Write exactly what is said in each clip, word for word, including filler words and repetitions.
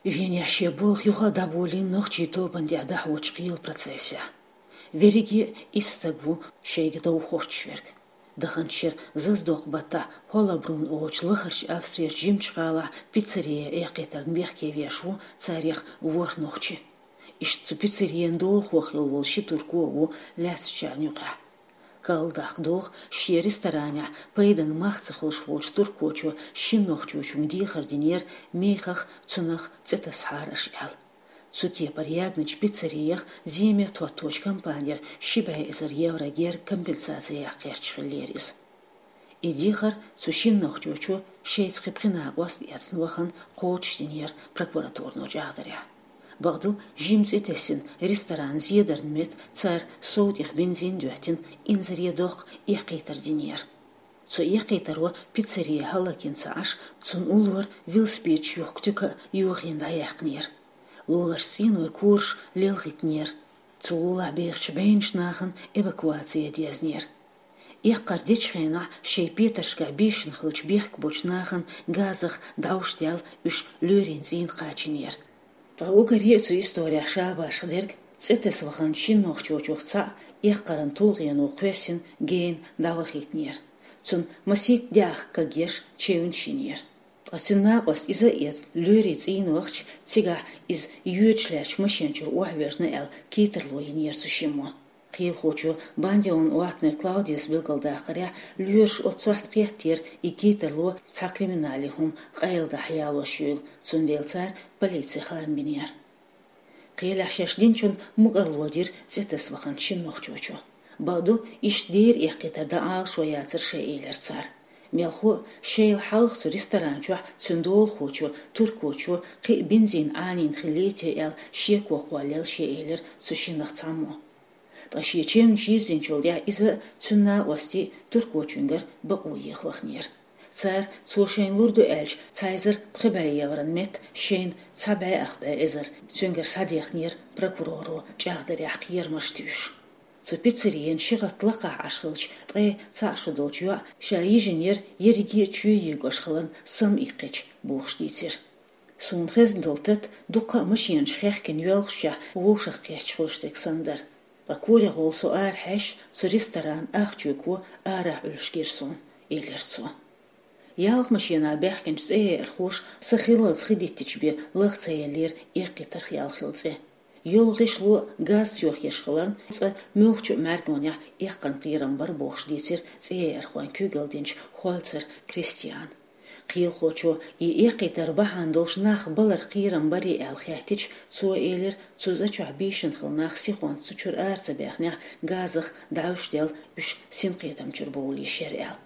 Венехь шен болх юха а дӀаболийна нохчийн тобанна тӀехь дӀахьочу кхелан процессехь. Верриге а исс стаг ву шайга дов хӀоттош верг. Даханчу шеран зазадоккху баттахь Хьоллабрунн олучу лахарчу Австрерчу жимачу гӀалахь пиццерия эккхийтарна бехке веш ву царех ворхӀ нохчи. Иштта цу пиццерин долахо хилла волу ши турко а ву лаьцначарна юкъахь. Карладаккха догӀу, шен ресторанехь пайдана мах ца хуьлуш волчу туркочо шина нохчочуьнга дехар динера мехах, цунах цӀе тасахьара аша аьлла. Цу кепара ягначу пиццериях земе тотточу компанера ши бӀе эзар евро герга компенсаци яккха гӀерташ хиллера иза. И дехар цу шина нохчочо шайца кхин пхи накъост а эцна вахана кхочушдинера прокуратуро чӀагӀдарехь. Бакъду, жима цӀе тесна ресторанан зедарна метта цара сов тӀех бензин доьттина, инзаре доккху эккхийтар динера. Цу эккхийтаро пиццерия хӀаллакйина ца Ӏаш, цунна уллора велосипедаш юхку туька а йохийна дӀаяьккхинера. Луларчу цӀийнойн кораш лелхийтинера. Цу лулахь бехачу бӀеннаш нахана эвакуаци ян дезнера. Эккхар дечу хенахь шайн петаршкахь бийшина хиллачу бехк болчу нахана газах дӀовш даьлла уьш лоьрийн цӀийна кхачийнера. Ткъа уггаре а цу исторехь ша башха дерг цӀе таса ваханчу шина нохчочух цхьаъ эккхаран тулгӀено кхоьссина гена дӀавахийтинера. Цунна масийтта даьӀахк кагъеш чевнаш йинера. Ткъа цуьнан накъост иза а эцна, лоьрийн цӀийна вахча, цигахь иза йоьдуш лаьттачу машен чуьра охьавоьжна аьлла, китарло йинера цу шиммо. Кхелахочо Бандион Оттнер Клаудиас билгалдаккхарехь, лоьраша оццу сохьта кхеттера и китарло цхьа криминалан хӀума къайладахьа ялош юйла, цундела цара полици хаам бинера. Кхелехь шаьш динчунна мукӀарло дира цӀе таса ваханчу шина нохчочо. Бакъду, иштта дера эккхийтар дан Ӏалашо яцара шайн, элира цара. Мелхо а, шайл хьалха цу ресторан чохь цуьнан долахочо, туркочо, кхин а бензин Ӏанийна хиллий те аьлла, шеко кхоллаелла шен, элира цу шиннах цхьаммо. Ткъа шен чевнаш йирзинчул тӀаьхьа иза а, цуьнан накъостий а туркочуьнгара бакъо еха вахнера. Цара, цо шайна лур ду аьлча, цхьа эзар пхи бӀе еврон метта шайна цхьа бӀе ах бӀе эзар, цуьнгара схьадехнера прокуроро чӀагӀдарехь кхерамаш туьйсуш. Цу пиццерин ши гӀатта лакхахь Ӏаш хиллачу ткъе цхьаъ шо долчу йоӀа ша йижинера ерриге а чоь егош хиларна самаиккхича бохуш дийцира. Суна хезна долу тата дуккха а машенаш хехкина йоьлхушехь вовшах кхетташ хуьлуш дерг санна дара. Ткъа корегӀолу со арахьаьжча, цу ресторанан ахча чуьйко арахь Ӏуьллуш гира суна, элира цо. Ялх машенах баьхкинчу цӀеяьрхоша са хиллалц хи диттича бен лаха ца еллера эккхийтарх ял хилла цӀе. ЙолгӀишло а газца йохъеш хиларна, цкъа муьлххачу а мӀаьргонехь эккхаран кхерам бара бохуш дийцира цӀеяьрхойн куьйгалла динчу Хольцер Кристиана. Кхелахочо и эккхийтар бахьана долуш нах балар кхерам барий аьлла хаьттича, цо элира, цу цӀа чохь бийшина хилла нах сихонца цу чуьра ара ца баьхнехь, газах дӀовш даьлла уьш синкхетам чуьра бовлийша яра аьлла.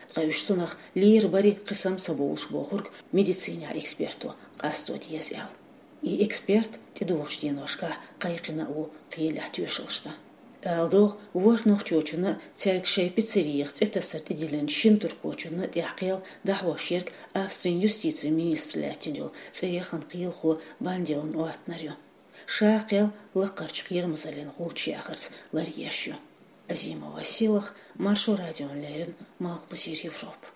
Ткъа уьш цунах лийр барий, кхин сам ца бовлуш бохург медицинехь эксперто къасто деза аьлла. И эксперт тӀедогӀучу деношкахь кхайкхина а ву кхелехь тоьшаллаш дан. Ала догӀу, ворхӀ нохчочунна а, цаьрга шайн пиццерих цӀе тасар тӀедиллинчу шина туркочунна а тӀехь кхел дӀахьош ерг Австрин юстицин министр лаьттина йолу цӀе яхана кхелахо Бандион Оттнер ю. Ша кхел лаккхарчу кхерамазаллин гӀулч яхарца ларъеш ю. Азимова Силах, Маршо радиона леррина, Малхбузера Европа.